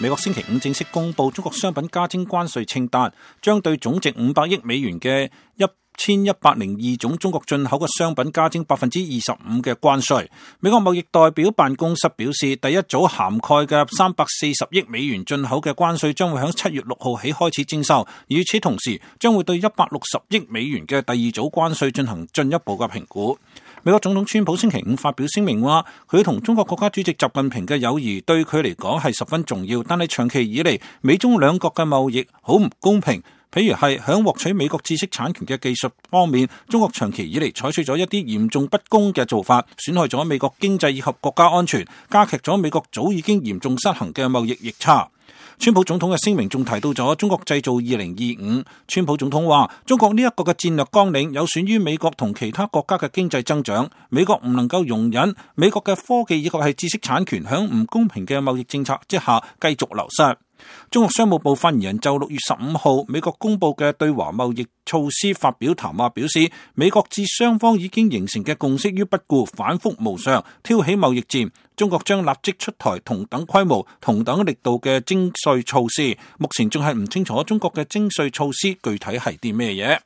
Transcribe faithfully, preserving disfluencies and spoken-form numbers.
美國星期五正式公布中國商品加徵關稅清單，將對總值五百億美元嘅一千一百零二種中國進口嘅商品加徵百分之二十五嘅關稅。美國貿易代表辦公室表示，第一組涵蓋嘅三百四十億美元進口嘅關稅將會喺七月六號起開始徵收，與此同時將會對一百六十億美元嘅第二組關稅進行進一步嘅評估。美國總統川普星期五發表聲明話，佢同中國國家主席習近平嘅友誼對佢嚟講係十分重要，但係長期以嚟美中兩國嘅貿易好唔公平。譬如係喺獲取美國知識產權嘅技術方面，中國長期以嚟採取咗一啲嚴重不公嘅做法，損害咗美國經濟以及國家安全，加劇咗美國早已經嚴重失衡嘅貿易逆差。川普總統嘅聲明仲提到咗中國製造二零二五。川普總統話，中國呢一個嘅戰略綱領有損於美國同其他國家嘅經濟增長，美國唔能夠容忍美國嘅科技以及係知識產權響唔公平嘅貿易政策之下繼續流失。中國商務部發言人就六月十五號美國公布嘅對華貿易措施發表談話，表示美國至雙方已經形成嘅共識於不顧，反覆無常，挑起貿易戰。中國將立即出台同等規模、同等力度嘅徵稅措施。目前仲係唔清楚中國嘅徵稅措施具體係啲咩嘢。